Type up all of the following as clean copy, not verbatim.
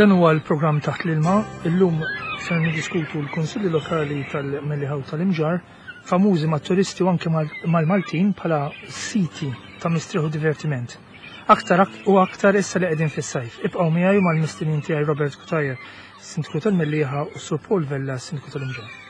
Dan huwa l-programm Taħt l-Ilma. Illum ser niddiskutu l-Kunsilli Lokali tal-Mellieħa u tal-Imġarr, famużi mat-turisti u anke mal-Maltin bħala siti ta' mistrieħ u divertiment. Aktar u aktar issa li qegħdin fis-sajf. Ibqgħu miegħi u mal-mistednin tiegħi Robert Cutajar, Sindku tal-Mellieħa u Sur Paul Vella, Sindku tal-Imġarr.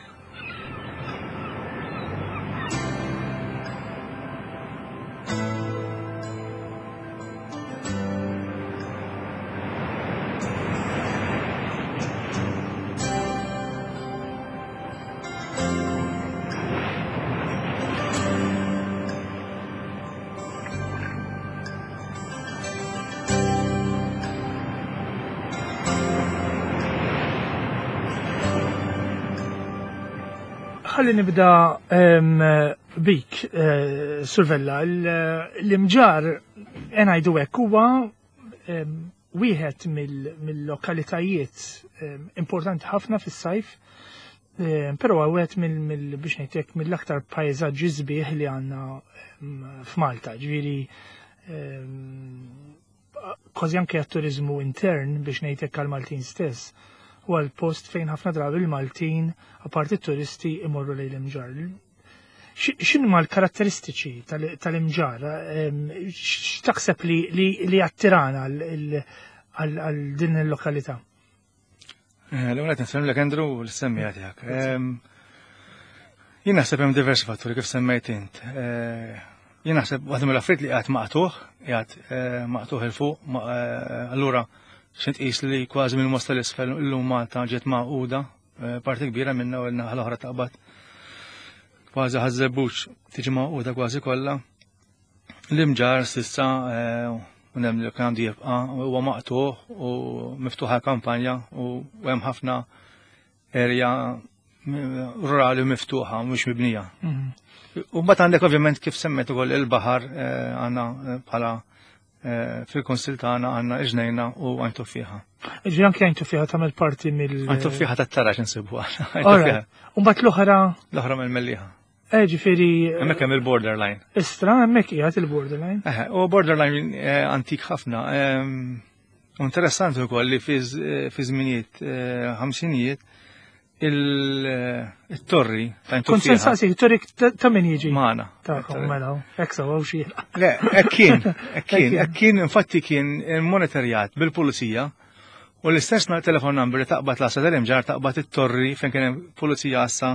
Ħalli nibda bik, eh, Survella, l-imġar ngħidu hekk huwa wieħed mill-lokalitajiet importanti ħafna fis-sajf, però wieħed mill biex ngħidlek mill-aktar pajjeżaġġi sbieħ li għandna f'Malta. Ġifieri kważi anke għat-turiżmu intern biex ngħidlek għall-Maltin stess u għal post fejn ħafna drabi l-Maltin apparti t-turisti imorru lejn l-imġarr. X'inhuma l-karatteristiċi tal-imġarr? X'taħseb li attirana għal din il-lokalità? Eh, l-ewwel qed nsellmlek Andrew u l-semmija tiegħek. Jien naħseb hemm diversi fatturi kif semmejt int. Eh, jien naħseb waħda mill-affarijiet li qiegħed maqtuħ, qiegħed eh, maqtuħ il fuq, allura xi tqis li kważi minn mosta l-isfel illum Malta ġiet maquda, parti kbira minna u l-naħa l-oħra taqbad kważi ħażebbuġ tiġi maquda kważi kollha. L-imġar sissa eh, u nemmen li għandu jibqa' huwa maqtuħ u miftuħa kampanja u hemm ħafna erja rurali miftuħa mhux mibnija. Mhm. U mbagħad għandek ovvjament kif semmet ukoll il-baħar eh, għandna eh, bħala fil-konsil tagħna għandna iġnejna u għajn tuffiħa. Ġi anke għajn tuffiħa tagħmel parti mill. Għajn tuffiħa tat-taraġ insibuha. U mbagħad l-oħra. L-oħra mill-Mellieħa. Eh, ġifieri. Hemmhekk hemm il-borderline. Istra, hemmhekk qiegħed il-borderline. Eh, u borderline eh, antik ħafna. Ehm, interessanti wkoll li fi eh, żminijiet ħamsinijiet il-torri ta' Kont se nsaqsi, torri ta' min jiġi? Magħna. Ta' mela, hekk sewa u xi. Le, hekk kien, hekk kien, hekk kien infatti kien monitorjat bil-pulizija u l-istess telefon number li taqbad l-għassa tal-imġar taqbad it-torri fejn kien hemm pulizija għassa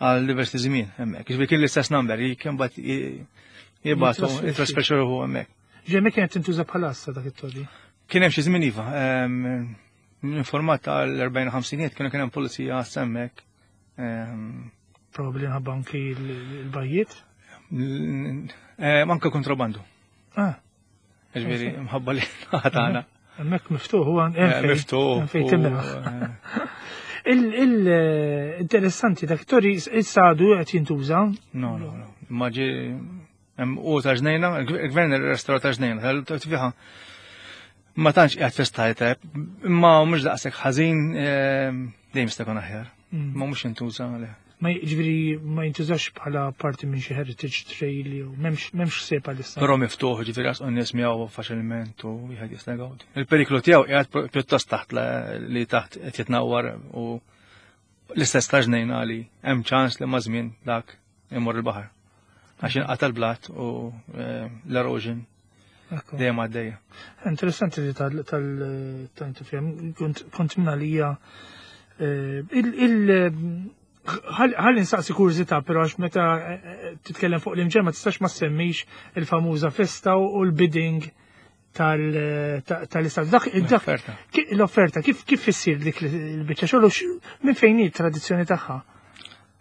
għal diversi żmien hemmhekk. Jiġifieri kien l-istess number, kien bat jibgħatu jitrasferxu ruħu hemmhekk. Ġemmi kienet tintuża bħala assa dak it-torri. Kien hemm xi żmien iva, informat tal-40 50 kienu kien hemm pulizija għassa hemmhekk. Probabbli nħabba anki l-bajjiet. Anke kontrabandu. Ah. Ġifieri mħabba li ħatana. Hemmhekk miftuħ huwa eh, miftuħ. Fejn timraħ. Eh. Il-interessanti dak tori issa għadu qed jintuża. No, no, no. Ma ġi u ta' ġnejna, il-gvern restaura ta' ġnejna, tal-tfiħa ma tantx qiegħed festajt, imma mhux daqshekk ħażin eh, dejjem jista' jkun aħjar. Mm. Ma mhux intuża le. Ma jiġifieri ma jintużax bħala parti minn xi heritage trail jew m'hemmx ħsieb għalissa. Però miftuħ, ġifieri għas nies miegħu faċilment u wieħed jista' jgawdi. Il-periklu tiegħu qiegħed pjuttost taħt li taħt qed jitnawwar u l-istess ta' ġnejna li hemm ċans li ma' żmien dak imur il-baħar. Għax inqata' l-blat u eh, l-erosion dejjem għaddejja. Interessanti li tal-tal-tifhem, kont minna li hija eh, il ħalli nsaqsi kurżità, però għax meta eh, titkellem fuq l-imġer ma tistax ma semmix il-famuża festa u l-bidding tal-istat. Dak l-offerta kif kif issir dik il-biċċa xogħol minn fejn hi t-tradizzjoni tagħha?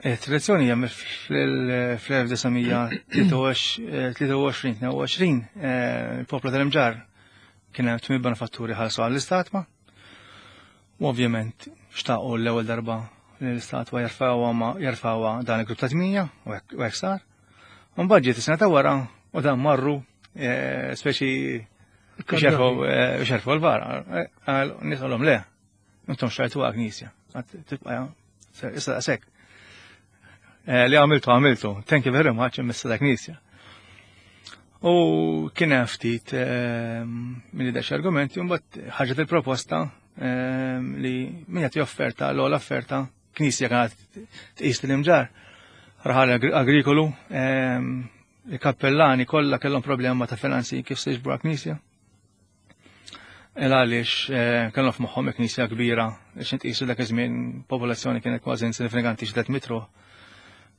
Eh, tradizzjoni hija fl-1923 eh, il-poplu tal-imġar kien hemm tmien benefatturi ħalsu għall-istatwa. U ovvjament xtaqu l-ewwel darba li l-istatwa jerfgħuha dan il-grupp ta' tminja u hekk sar. Mbagħad ġiet is-sena ta' wara u dan marru eh, speċi biex jerfgħu eh, l-vara. Eh, Nisolhom le, intom xtrajtu għal knisja. Tibqa' issa daqshekk. Li għamiltu għamiltu, thank you very much imissa da knisja. U kien hemm ftit minn dax argumenti, mbagħad ħarġet il-proposta li min jagħti offerta l-ogħla offerta knisja kienet tqis l-imġar raħal agrikolu il-kappellani kollha kellhom problema ta' finanzi kif se jiġbru knisja. Il għaliex eh, kellhom f'moħħhom knisja kbira biex nitqisu dak iż-żmien popolazzjoni kienet kważi insignifikanti xi mitru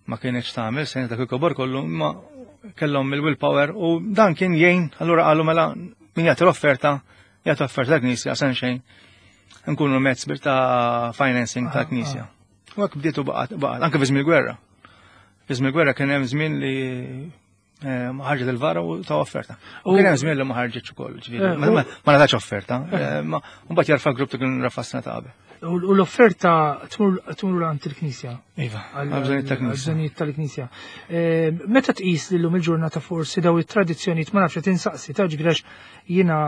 ma kienx tagħmel sens dak il-kobor kollu imma kellhom il-willpower u dan kien jgħin allura qalu mela min jagħti l-offerta jagħti offerta knisja sen xejn nkunu mezz ta' financing ta' knisja. U hekk bdietu baqgħet baqgħet anke fi żmien il-gwerra. Fi żmien il-gwerra kien hemm żmien li eh, ma ħarġet il-vara u ta' offerta. U kien hemm żmien li ma ħarġitx ukoll, ġifieri, eh, ma ngħatax offerta, eh, ma mbagħad jarfa' grupp ta' kien rafa sena ta' qabel. U l-offerta tmur għand il-Knisja. Iva, għal-bżonijiet tal-Knisja. Tal-Knisja. Meta tqis li llum il-ġurnata forsi daw it-tradizzjonijiet ma nafx qed insaqsi ta' ġifieri jiena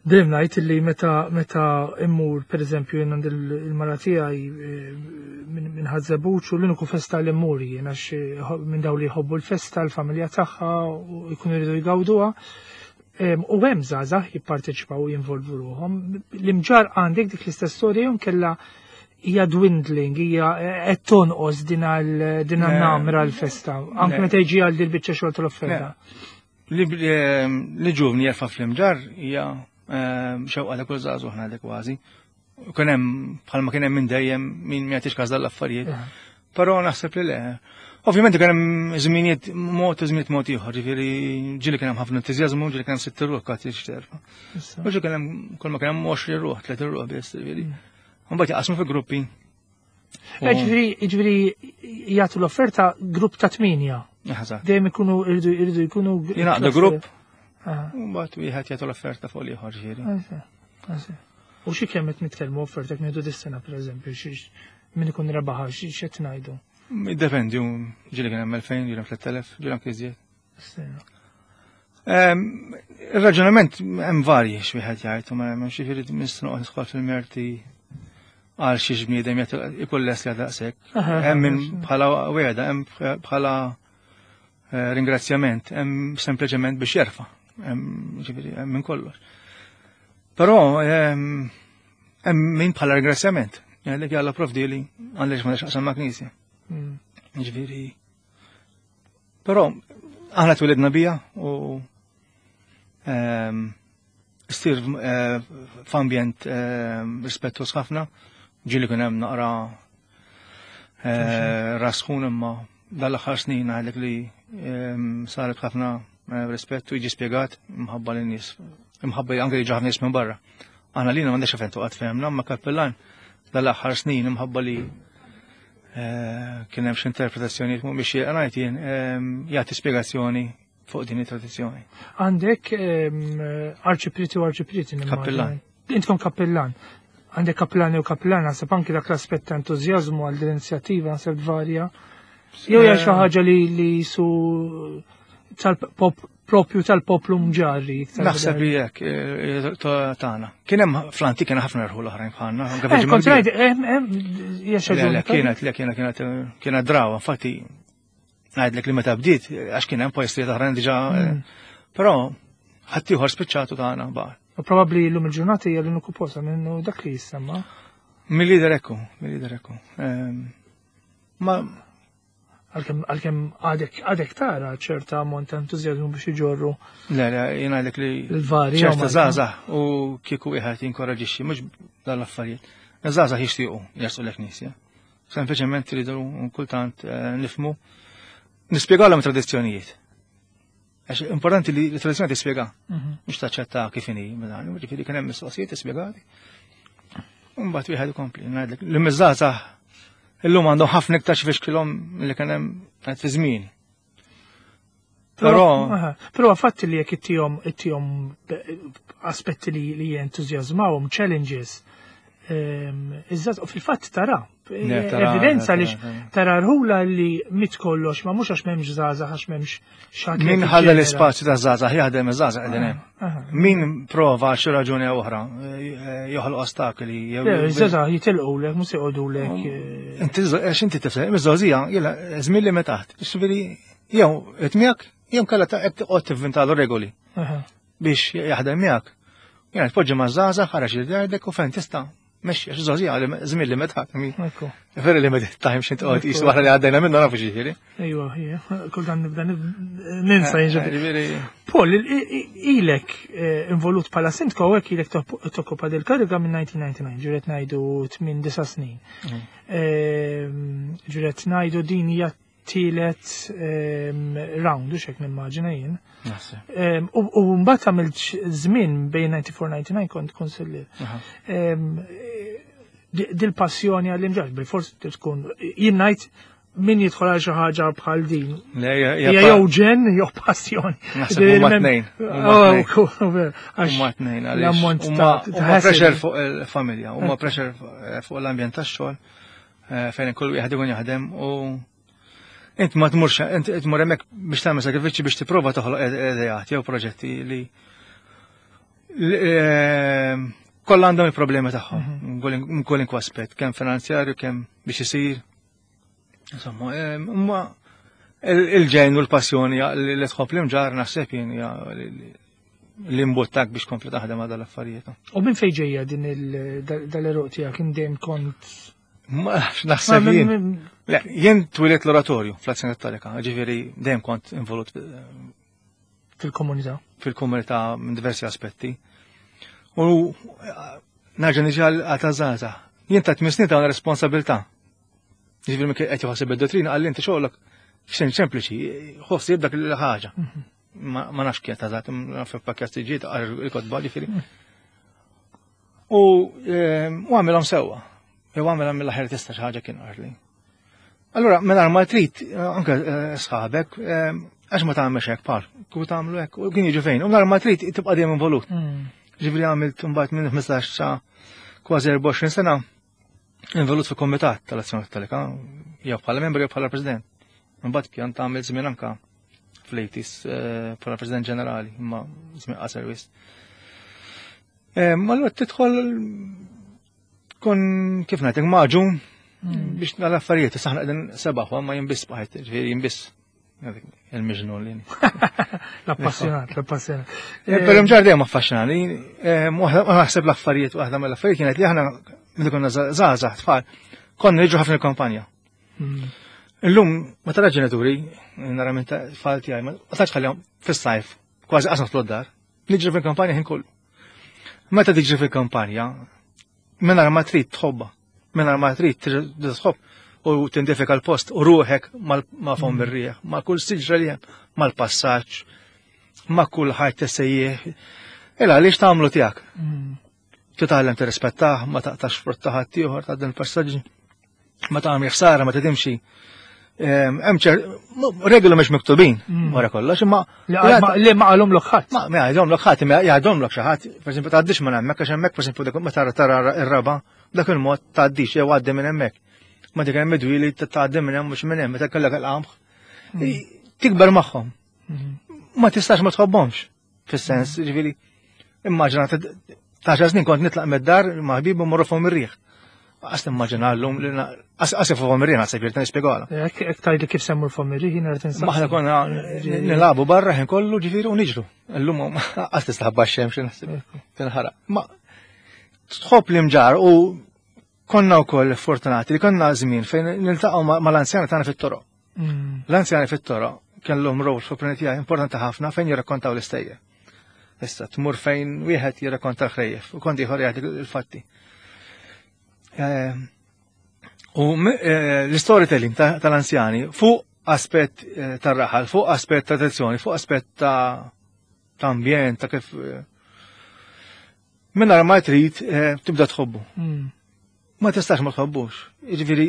Dejjem ngħid li meta meta immur pereżempju jien għand il-mara tiegħi eh, minn Ħaż-Żebbuġ u l-uniku festa li mmur jien għax eh, minn dawn li jħobbu l-festa, l-familja tagħha u jkunu jridu jgawduha. U hemm żgħażagħ jipparteċipaw u jinvolvu ruħhom. L-imġar għandek dik l-istess storja jew kella hija dwindling, hija eh, qed tonqos din għal-namra l-festa, anke meta jiġi għal dil-biċċa xogħol tal-offerta. Li ġuvni jerfa' fl-imġar hija ehm, xewqa ta' kull żagħżugħ ngħidlek kważi. Kien hemm bħalma kien hemm minn dejjem min ma jagħtix każ dal-affarijiet. Però naħseb li le. Ovvjament kien hemm żminijiet mod u żminijiet mod ieħor, ġifieri ġieli kien hemm ħafna entużjażmu, ġieli kien hemm sitt ruħ kważi xterfa. U ġieli kien hemm kull ma kien hemm 20 ruħ, 30 ruħ biss, ġifieri. Mbagħad jaqsmu fi gruppi. Eh, ġifieri jagħtu l-offerta grupp ta' tminja. Dejjem ikunu irridu irridu jkunu. Jingħaqdu grupp. Mbagħad wieħed jagħtu l-offerta fuq l-ieħor ġifieri. U xi kemm qed nitkellmu offerta jekk ngħidu dis-sena pereżempju, min ikun rebaħa x'qed ngħidu? Jiddependi, ġieli kien hemm 2000, ġieli 3000, ġieli anke iżjed. Il-raġunament hemm varji x'wieħed jgħid, ma hemmx jiġifieri nista' nidħol fil-merti għal xi bniedem ikun lest li daqshekk. Hemm min bħala wegħda, hemm bħala eh, ringrazzjament, hemm sempliċement biex jerfa', hemm ġifieri hemm minn kollox. Però hemm min bħala ringrazzjament, jgħidlek jalla provdili għaliex ma nixaqsam ma' knisja. Mm. Ġifieri Però aħna twilidna bija u ehm, stir eh, f'ambjent ehm, rispettuż ħafna, ġieli kien hemm naqra eh, rasħun imma dal-aħħar snin għalek li ehm, saret ħafna eh, rispett u jiġi spjegat imħabba lin nies imħabba anke jiġu ħafna nies minn barra. Aħna lina m'għandix fejn toqgħod fehmna, ma kappellan dal-aħħar snin imħabba li eh, kien hemm xi interpretazzjonijiet mhumiex xierqa ngħid jien ehm, jagħti spjegazzjoni fuq din it-tradizzjoni. Għandek ehm, arċipriti u arċipriti. Kappellan. Intkom kappellan. Għandek kappellani u kappellan, naħseb anki dak l-aspett ta' entużjażmu għal din l-inizjattiva naħseb varja. Jew hija xi ħaġa li li su tal-pop propju tal-poplu mġarri. Naħseb li jekk eh, eh, tagħna. Kien hemm fl-antik kien ħafna rħu l-oħrajn bħalna. Eh, kienet, le kienet kienet kienet drawa, infatti ngħidlek li meta bdiet għax kien hemm postijiet oħrajn diġà. Però ħaddieħor spiċċatu tagħna baqa'. U probabbli llum il-ġurnata hija l-uniku posta minnu dak li jissemma. Mill-lider ekku, mill-lider ekku. Ehm, ma Għalkemm għadek għadek tara ċerta ammont ta' entużjażmu biex iġorru. Le, le, jien għalek li l-varja. ċerta żgħażagħ u kieku wieħed jinkoraġixxi mhux dal-affarijiet. Żgħażagħ jixtiequ jersu l-knisja. Sempliċement tridu kultant eh, nifmu nispjegalhom tradizzjonijiet. Għax importanti li l-tradizzjoni tispjega, mhm. mhux taċċetta kif inhi, mela, ġifieri kien hemm mistoqsijiet tispjegati. Mbagħad wieħed ikompli, ngħidlek li miż-żgħażagħ illum għandhom ħafna iktar xi kilhom li kien hemm qed fi żmien. Però però fatti li jekk ittihom ittihom aspetti li li jentużjażmawhom challenges Iżda fil-fatt tara, evidenza li tara rħula li mit kollox, ma mhux għax m'hemmx żgħażagħ għax m'hemmx xatt. Min ħalla l-ispazju ta' żgħażagħ jaħdem iż-żgħażagħ qegħdin hemm. Min prova xi raġuni oħra eh, joħloq ostakli jew. Iż-żgħażagħ jitilqulek mhux joqogħdulek. Oh. Eh. Inti għax inti tifhem, iż-żgħażija jiela żmien li taħt. Ġifieri jew qed miegħek jew kellha qed toqgħod tivvintalu regoli biex jaħdem miegħek. Jena tpoġġi ma' żgħażagħ ħareġ li jgħidlek u fejn tista' mexxi għax żgħażagħ li żmien li meta Very limited time xi toqgħod qis wara li għaddejna minnu nafu xi Ejwa, kultant nibda ninsa eh, jiġifieri. Paul, ilek eh, involut bħala sindko hekk ilek tokkopa dil kariga minn 1999, ġiret ngħidu 8 snin. Ehm, ġiret ngħidu din hija tielet ehm, round, u xek nimmaġina jien. Ehm, u mbagħad għamilt żmien bejn 94-99 kont konsillier. Dil-passjoni għall-imġarr, bil-fors tkun jien ngħid min jidħol għal xi ħaġa bħal din. Hija jew ġen jew passjoni. Naħseb huma tnejn. Oh, huma tnejn għaliex. Huma pressure fuq il-familja, huma pressure fuq l-ambjent tax-xogħol eh, fejn kull wieħed ikun jaħdem u int ma tmurx, int tmur hemmhekk biex tagħmel sagrifiċċji biex tipprova toħloq ideat jew proġetti li eh, kollha għandhom il-problemi tagħhom, mhm. minn kull aspett, kemm finanzjarju, kemm biex isir. Insomma, eh, imma il-ġen u l-passjoni li tħobb l-imġar naħseb jien li mbuttak biex kompli taħdem għal dal-affarijiet. U minn fejn ġejja din dal-eruq tiegħek indejjem kont Ma naħseb jien. Jien twilet l-oratorju fl-Azzjoni Kattolika, ġifieri dejjem kont involut eh, fil-komunità. Fil-komunità minn diversi aspetti. U eh, nerġa' niġi għal tażaza. Jien ta' tmien snin ta' responsabilità. Ġifieri minn qed jħossib id-dottrina għal inti xogħlok xejn sempliċi, ħossib dak il-ħaġa. Mhm. Ma nafx kien tażat, naf pakket ġiet il-kotba ġifieri. Mhm. U ehm, għamilhom sewwa. Jew għamilhom mill-aħjar tista' xi ħaġa kien qarli. Allura, minn ma trid, anke eh, sħabek, ehm, għax ma tagħmel hekk par, kieku tagħmlu hekk, u kien jiġu fejn, u nhar ma trid tibqa' dejjem involut. Mm. Ġifieri għamilt mbagħad minn 15 sa kważi 24 sena involut fil komitat tal-Azzjoni Kattolika, jew bħala membru jew bħala president. Mbagħad kien tagħmel żmien anka fl-80s eh, bħala president ġenerali, imma żmien qasar wis. Eh, allura tidħol kun kif ngħidlek maġun hmm. biex l-affarijiet saħna qegħdin sebaħ ma jinbiss bħajt, ġifieri jinbiss il-miġnun li. L-appassjonat, l-appassjonat. Eh, però mġar dejjem affaxxinani, eh, naħseb l-affarijiet waħda mill-affarijiet kienet li aħna meta konna żgħażagħ tfal, konna niġu ħafna il-kampanja. Hmm. Illum ma tara ġenituri, nara minn tfal tiegħi, ma tantx ħallihom fis-sajf, kważi qasam fl-dar. Niġri fil-kampanja ħin kollu. Meta tiġri fil-kampanja, mingħajr ma trid tħobba, mingħajr ma trid tħobb u tindifika l-post u ruħek ma' fom mm. ir-rieħ, ma' kull siġra li hemm, mal-passaġġ, ma' kull ħajt tessejjieħ. Ela għaliex tagħmlu tiegħek? Mm. Titgħallem tirrispettah, ma taqtax frott ta' ħaddieħor ta' din il-passaġġi. Ma tagħmel ħsara, ma tidimxi. Hemm regoli mhux miktubin mm. wara kollox, imma li ma qalhom lok ħadd. Ma jgħidhom lok ħadd, imma jgħidhom lok xi ħadd, pereżempju tgħaddix minn hemmhekk għax hemmhekk pereżempju dak ma tara tara r-raba, dak il-mod tgħaddix jew għaddi minn hemmhekk. Ma dik hemm midwili tgħaddi minn hemm mhux minn hemm, meta kellek il-qamħ. Mm. Tikber magħhom. Mm. Ma tistax ma tħobbhomx. Fis-sens, ġifieri, immaġina ta' xar snin kont nitlaq mid-dar ma' ħbibu morru fuq ir-riħ. Għas nimmaġina llum li għas fuq ir-riħ naħseb jirta nispjegalha. Hekk tgħidli kif semmur fuq ir-riħ jiena rrid insaqsi. Aħna konna nilagħbu barra ħin kollu ġifieri u niġru. Illum għas tistaħba x-xemx naħseb tinħaraq. Ma tħobb l-imġar u konna wkoll fortunati li konna żmien fejn niltaqgħu mal-anzjani tagħna fit-toroq. Mm. L-anzjani fit-toroq kellhom rol fl-opinjoni tiegħi importanti ħafna fejn jirrakkontaw l-istejjer. Issa tmur fejn wieħed jirrakkonta l-ħrejjef u kont ieħor jgħid il-fatti. Eh, u eh, l-storytelling tal-anzjani fuq aspett eh, tar-raħal, fuq aspett ta' tradizzjoni, fuq aspett ta' ambjent, ta' kif Minna ma trid eh, tibda tħobbu. Hmm. Ma tistax ma tħobbux. Jiġifieri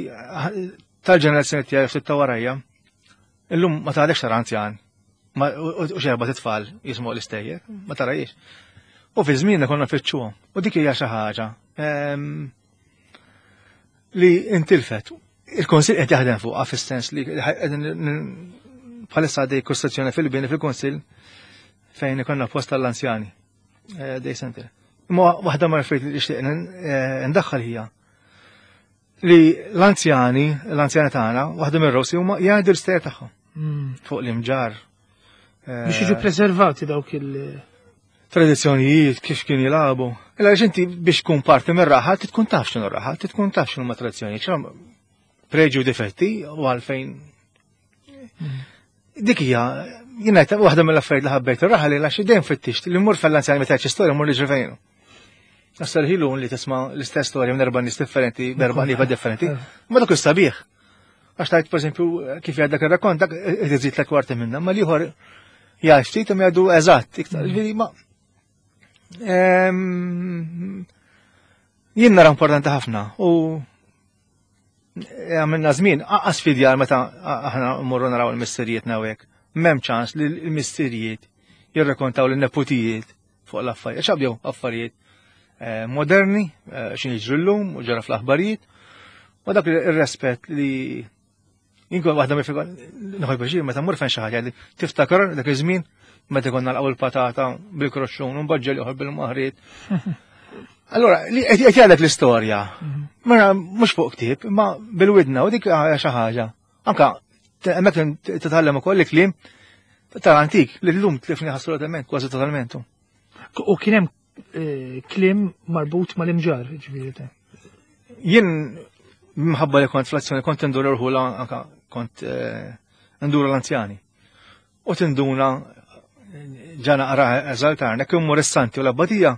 tal-ġenerazzjoni tiegħi ftit ta' warajja, illum ma tgħadekx tara anzjan u xerba titfal jismu l-istejjer, ma tarajiex. U fi żmienna konna nfittxuhom. U dik hija xi ħaġa ehm, li intilfet. Il-Konsil qed jaħdem fuqha fis-sens li bħalissa għaddej kostruzzjoni fil-bini fil-Konsil fejn ikonna post tal-anzjani. Eh, day center. Imma waħda ma affarijiet li nixtieq eh, ndaħħal hija li l-anzjani, l-anzjani tagħna, waħda mir-rosi huma jgħidu l-istejjer tagħhom hmm. fuq l-imġar. Eh, Biex jiġu preservati dawk il- Tradizzjonijiet, kif kien jilagħbu. Illa għax inti biex tkun parti mir-raħal, tkun taf x'inhu raħal, tkun taf x'inhu ma tradizzjonijiet, preġi u difetti u għalfejn. Dik hija, jiena waħda mill-affarijiet li ħabbejt ir-raħal li għax dejjem fittixt li mmur fell-anzjani meta storja mmur niġri fejnu. Nassar ħilu li tisma' l-istess storja minn erba' nies differenti, b'erba' nifa differenti, ma dak sabiħ. Għax tajt, per esempio, kif jgħid dak ir-rakkont, dak iżid l kwarti minna, ma liħor jgħid ftit imma jgħidu eżatt, iktar, ġifieri ma. Jien nara importanti ħafna u għamilna żmien aqas fidjar meta aħna mmorru naraw il-missirijiet nawek. M'hemm ċans li l-missirijiet jirrekontaw l-neputijiet fuq l-affarijiet. Xabdew affarijiet eh, moderni, eh, x'in jiġri llum u ġara fl-aħbarijiet. U dak ir-rispett li jinkun waħda mi nħoj biex meta mmur fejn xi ħaġa li tiftakar dak iż-żmien meta konna nalqgħu l-patata bil-kroxxun u mbagħad ġel bil-maħriet. Allora, li qed jgħidlek l-istorja. Mhm. Mela mhux fuq ktieb, imma bil-widna u dik xi ħaġa. Anka hemmhekk titgħallem ukoll il-kliem tal-antik li llum tlifni assolutament, kważi totalment. U kien hemm eh, kliem marbut mal-imġar, ġifieri. Jien minħabba li kont fl-azzjoni kont indur irħula anka kont eh, ndur l-anzjani. U tinduna ġana qra eżaltarna, jekk immur is-santi u l-abbatija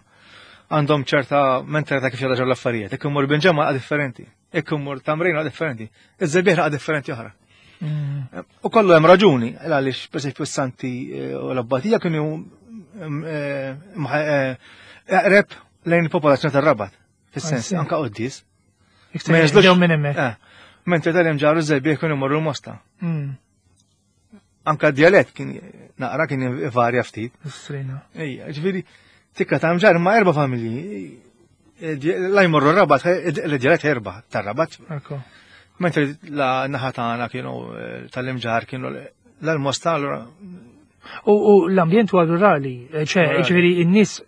għandhom ċerta mentalità kif jaraġaw l-affarijiet, jekk immur binġemma differenti, jekk immur tamrina differenti, iż-żebieħ differenti oħra. Mm. U kollu hemm raġuni, għaliex pereżempju s-santi eh, u l-abbatija kienu mm, eh, eh, eqreb lejn il-popolazzjoni tar-Rabat, fis-sens anka qoddis. Ma jeżlux minn hemmhekk. Mentre tal-imġaru żebieħ kienu morru l-mosta. Mm. Anka d-dialett kien naqra kien varja ftit. Strina. Ejja, ġifieri tikka ta' mġar ma' erba' familji. Eh, la jmorru rabat, eh, l-dialett erba' tar-rabat. Mentre la naħa tagħna kienu eh, tal-imġar kienu l-mosta allura. U l-ambjent huwa rurali, ċe, ġifieri n-nies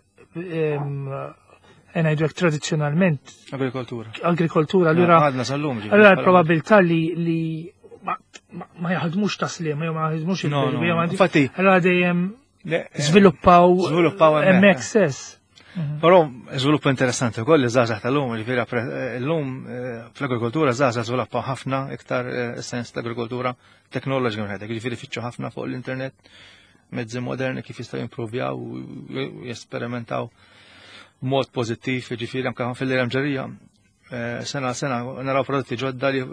ngħidu hekk tradizzjonalment. Agrikoltura. Agrikoltura, allura. Għadna sal-lum. Allura l-probabilità li li ma jaħdmux taslim, jew ma jaħdmux il Infatti. Allura dejjem eh, żviluppaw żviluppaw hemmhekk stess. Mhm. Però żvilupp interessanti wkoll li żgħażagħ tal-lum, ġifieri eh, llum eh, fl-agrikoltura żgħażagħ żviluppaw ħafna iktar sens l-agrikoltura teknoloġika minn ġifieri fittxu ħafna fuq l-internet mezzi moderni kif jistgħu jimprovjaw u jesperimentaw mod pożittiv, ġifieri anke fil-lejla ġerija eh, sena sena naraw prodotti ġodda li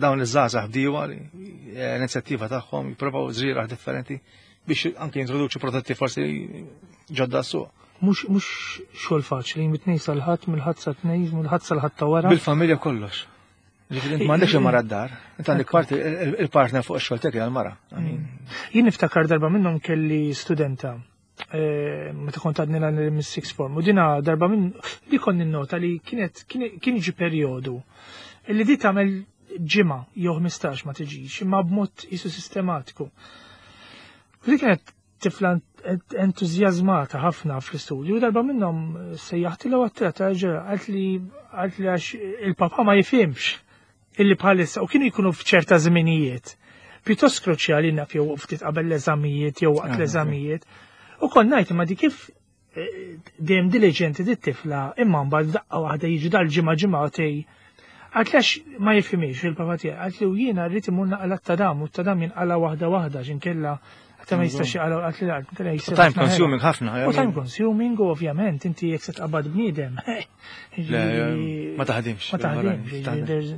dawn iż-żgħażagħ bdiewa li eh, l-inizjattiva tagħhom jippruvaw żrieragħ differenti biex anke jintroduċu prodotti forsi ġodda s-suq. Mhux mhux xogħol faċli, mit-tnejn sal-ħadd, mill-ħadd sa tnejn, mill-ħadd sal-ħadd ta' wara. Bil-familja kollox. Ġifieri int m'għandekx il-mara d-dar, int għandek parti il-partner fuq ix-xogħol tiegħek għall-mara. Mm. Jien niftakar darba minnhom kelli studenta eh, meta kont għadni l mis-sixth form u dina darba minn li konni nota li kienet kien jiġi perjodu li di tagħmel ġimgħa jew 15 ma tiġix imma b'mod isu sistematiku. U di kienet tifla entużjażmata ħafna fl-istudju, darba minnhom sejjaħtilha u għattilha ta' ġera, għalt li għalt li għax il-papa ma jifhimx illi bħalissa u kienu jkunu f'ċerta żminijiet. Pjuttost kruċjali naf jew ftit qabel l-eżamijiet jew waqt ah, l-eżamijiet. U kont ngħid imma di kif eh, dejjem diligenti dit tifla imma mbagħad daqqa waħda jiġu dal-ġimgħa ġimgħatej Għalt għax ma jifhimix il-papa tiegħi, għalt li u jiena rrid imur naqla t-tadam u t-tadam jinqala waħda waħda x'inkella għata ma jistax jaqala għalt li għalt nkella jisir. Time consuming ħafna. U time consuming u ovvjament inti jekk se tqabbad bniedem. Ma taħdimx. Ma taħdimx,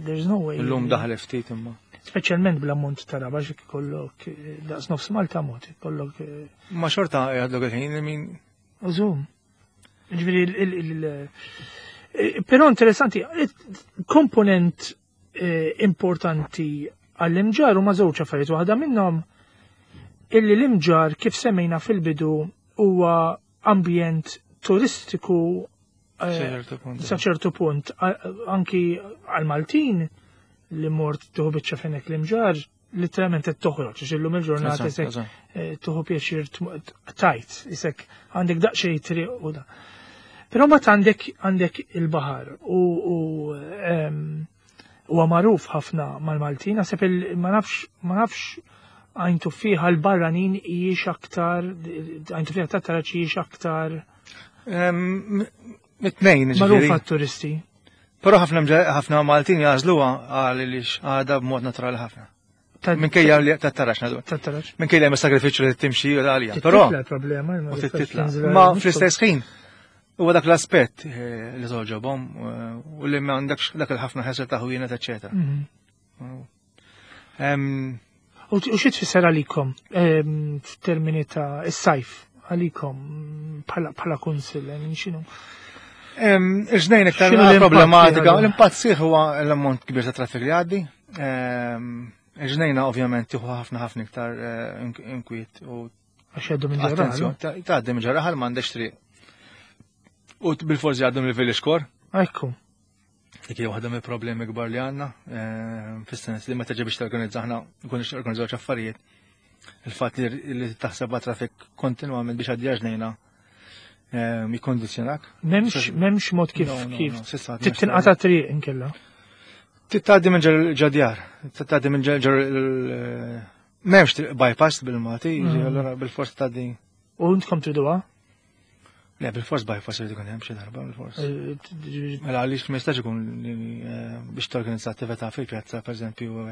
there's no way. Illum daħal ftit imma. Speċjalment bl-ammont ta' raba xi kollok daqs nofs Malta mod, kollok. Eh, ma xorta jgħadlok il-ħin min. Użum. Ġifieri il eh, Però interessanti, komponent eh, importanti għall-imġar huma żewġ affarijiet waħda minnhom illi l-imġar kif semmejna fil-bidu huwa ambjent turistiku eh, sa ċertu punt anki għal-Maltin li mort tuħu biċċa fenek l-imġar literalment qed toħroġ, għax illum il-ġurnata isek eh, tuħu pjaċir tajt, isek għandek daqsxejn triq u da. Però mbagħad għandek għandek il-baħar u huwa magħruf ħafna mal-Maltin, naħseb ma nafx ma nafx għajntu fiha l-barranin hijiex aktar, għajntu fiha ta' taraċ hijiex aktar. Mit-tnejn. Magħrufa turisti. Però ħafna ħafna Maltin jagħżluha għaliex għadha b'mod naturali ħafna. Minkejja li tat-tarax nadu. Tat-tarax. Minkejja li hemm sagrifiċċju li timxi għalija. Però problema. U titla. Ma fl-istess ħin huwa dak l-aspett eh, li toġobhom eh, u li ma għandekx dak il-ħafna ħesel ta' ħwienet, eċetera. Mhm. U xi tfisser għalikom f'termini ta' is-sajf għalikom bħala kunsill x'inhu? Iġnejn iktar problematika, l-impatt sieħ huwa l-ammont kbir ta' traffic li għaddi. Iġnejna ovvjament tieħu ħafna ħafna iktar eh, inkwiet u Għax jgħaddu minn ġarraħal. Tgħaddi minn ġarraħal m'għandekx triq. U bil-forsi għaddu mill-village core. Ekku. Dik hija waħda mill-problemi kbar li għandna, eh, fis-sens li meta ġi biex torganizza aħna nkunu organizzaw affarijiet. Il-fatt li taħseb traffic kontinwament biex għaddi ġnejna eh, jikkondizzjonak. M'hemmx m'hemmx mod kif kif tinqata' triq inkella. Titgħaddi minn ġadjar, titgħaddi minn ġar m'hemmx bypass bil-Malti, mm. allura bil-forsa tgħaddi. U intkom triduha? Le, bil-fors bypass irid ikun hemm xi darba bil-fors. Eh, mela għaliex ma jistax ikun eh, biex torganizza attività fil-pjazza, pereżempju,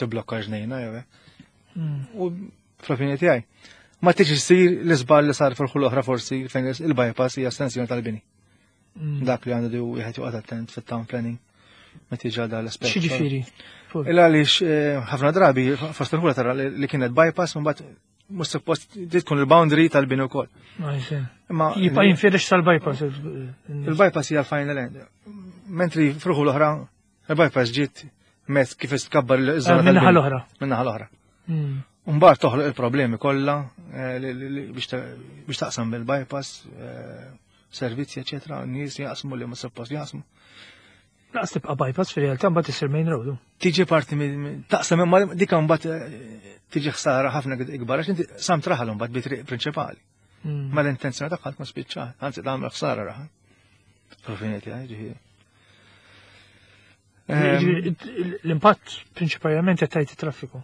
tibblokka ġnejna jew hekk. Hmm. U fl-opinjoni tiegħi, ma tiġi ssir l-iżball li sar fil-ħul oħra forsi fejn il-bypass hija estensjoni tal-bini. Hmm. Dak li għandu wieħed joqgħod attent fit-town planning meta jiġi għal dan l-aspett. X'jiġifieri? Il għaliex eh, ħafna drabi fost il-ħula tara li kienet bypass mbagħad mhux suppost di tkun il-boundary tal-bini wkoll. Imma jibqa' jinfirex tal-bypass. Il-bypass hija final end. Mentri fruħu l-oħra, il-bypass ġiet mezz kif tkabbar l-żona. Eh, minnaħa l-oħra. Minnaħa l-oħra. Hmm. Mbagħad toħloq il-problemi kollha eh, biex taqsam bil-bypass, eh, servizzi, eċetera, nies jaqsmu li ma suppost jaqsmu. Laqas tibqa' bypass fir-realtà mbagħad isir main road. Tiġi parti taqsam imma dik mbagħad eh, tiġi ħsara ħafna ikbar għax inti sam traħal mbagħad bi triq prinċipali. Hmm. Ma l-intenzjoni tagħha tkun spiċċat, anzi tagħmel ħsara raħal. Fil-fini tiegħi ġifieri. Ehm, l-impatt prinċipalment qed tgħid it-traffiku.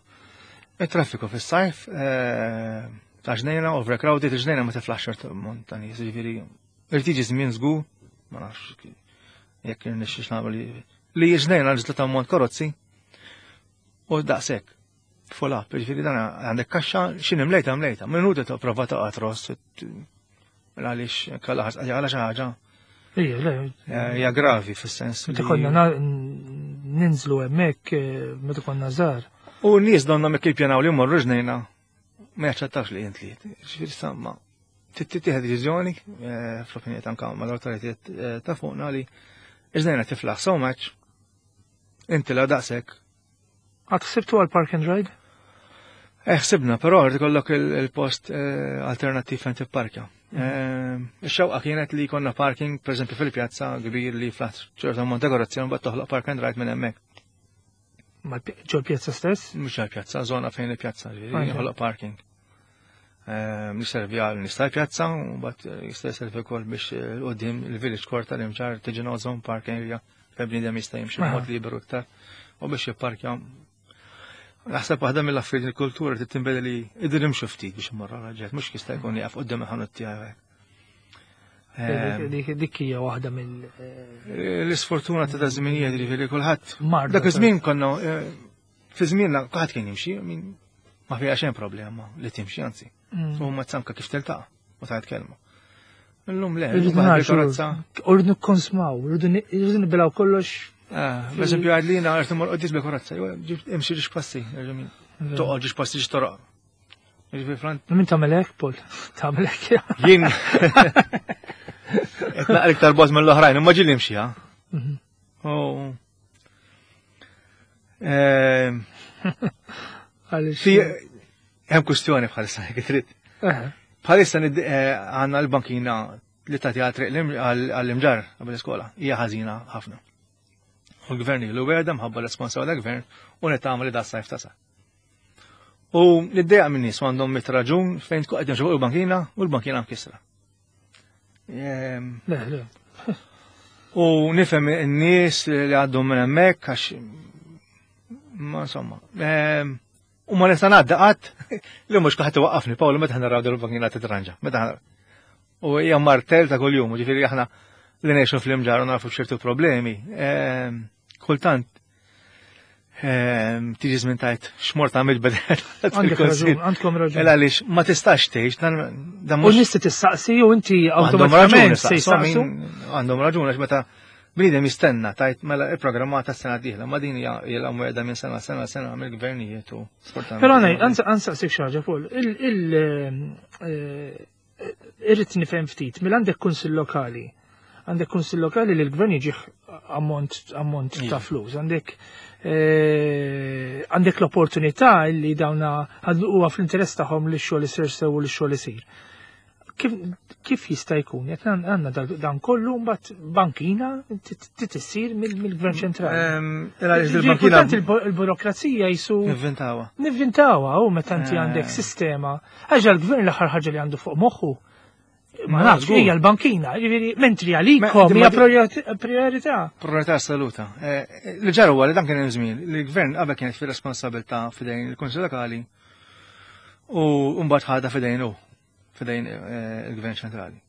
Il-traffiku fis-sajf eh, ta' ġnejna, overcrowded, ġnejna ma tiflax ċert montani, ġifieri Irid jiġi żmien żgur, ma nafx jekk irnexxix nagħmel li jiġnejna ġisla ta' ammont karozzi u daqshekk. Full up, jiġifieri dan għandek kaxxa x'inhi mlejta mlejta, minuta ta' prova ta' qatros għaliex kalla għala xi ħaġa. Ija, le. Eh, hija gravi fis-sens. Meta konna ninżlu hemmhekk eh, meta konna żgħar. U n-nies donna mekk jippjanaw li jmorru ġnejna ma jaċċettawx li jint li ġifieri samma tittieħed deċiżjoni eh, fl-opinjoni ta' anka mal-awtoritajiet eh, ta' fuqna li iżdejna tiflaħ so much inti la daqshekk. Għad ħsibtu għal park and ride? Eh, ħsibna, però rrid ikollok il-post alternattiv fejn tipparkja. Ix-xewqa kienet li jkollna parking, pereżempju fil-pjazza kbir li flaħ ċertu ammont dekorazzjoni mbagħad toħloq park and ride minn hemmhekk. Ġol pjazza stess? Mhux ġol pjazza, żona fejn il-pjazza, ġifieri parking. Ehm, Jiservi għal nista' pjazza u bat eh, jista' jservi wkoll biex eh, qudiem il-village court tal-imġar tiġi zone parking area fejn bniedem jista' jimxi b'mod liberu iktar u biex jipparkja. Naħseb waħda mill-affarijiet il-kultura trid tinbeda li idir imxu ftit biex imorru raġel, mhux jista' jkun jaqaf qudiem il-ħanut tiegħu. Ehm, dik hija waħda mill eh, L-isfortuna ta' żminijiet ġifieri kulħadd. Dak iż-żmien konna eh, fi żmienna kulħadd kien jimxi, ma fiha xejn problema li timxi anzi. Mm. U ma tsanka kif tiltaqa' u tajt kelma. Illum le, rridu Rridu nikkonsmaw, rridu nibilaw kollox. Eh, per eżempju, għadlina għartu mor qoddis bil-korazza, imxi ġiex passi, toqgħod ġiex passi ġiex toroq. Min tagħmel hekk, Paul? Tagħmel hekk. Jien. Qed naqra iktar bogħod mill-oħrajn, imma ġieli nimxi, ha? Mhm. Oh. Ehm. Għaliex. Hemm kwistjoni bħalissa jekk trid. Bħalissa eh, għandna l-bankina li tagħti għal għall-imġar qabel l-iskola hija ħażina ħafna. U l-gvern ilu wegħda mħabba l-responsabilità tal-gvern u nittama li da sajf tasal. U l-idea minn nies għandhom mit raġun fejn tkun qed fuq il-bankina u l-bankina mkisra. Ehm, le, le. U nifhem in-nies li għaddhom minn hemmhekk għax ma insomma. Ehm, u ma nista' ngħaddi qatt li mhux kulħadd iwaqqafni Paolo meta naraw dal-bankina titranġa. Meta. U hija martell ta' kuljum, ġifieri aħna li ngħixu fl-imġar u nafu ċertu problemi. Ehm, kultant ehm, tiġi żmien tajt x'mort għamil bedel. Għandkom raġun. Ela għaliex ma tistax tgħix dan dan mhux. U nies tistaqsi u inti awtomatikament se jsaqsu. Għandhom raġun għax meta bniedem jistenna tajt mela il-programmata sena dieħla ma din hija ilha mwegħda minn sena sena sena mill-gvernijiet u Però ansaqsik xi ħaġa fuq il eh, irrid nifhem ftit, mela għandek kunsill lokali. Għandek kunsill lokali li l-gvern jiġih ammont ammont ta' iva. flus. Għandek eh, għandek l-opportunità li dawna huwa fl-interess tagħhom li x-xogħol isir sew u li x-xogħol isir. Kif, kif jista' jkun? Qed għandna dan kollu mbagħad bankina titissir mill-Gvern ċentrali. Ehm, il-bankina il-burokrazija jisu. Nivvintawa. Nivvintawa u meta inti għandek eh. sistema Għax għall-gvern l-aħħar ħaġa li għandu fuq moħħu ma nafx hija l-bankina, jiġifieri mentri għalikom hija priorità. Priorità assoluta. Eh, li ġara huwa li dan kien hemm żmien li l-gvern qabel kienet fir-responsabilità f'idejn il-Kunsill Lokali u mbagħad ħadha f'idejn hu, f'idejn eh, il-Gvern Ċentrali.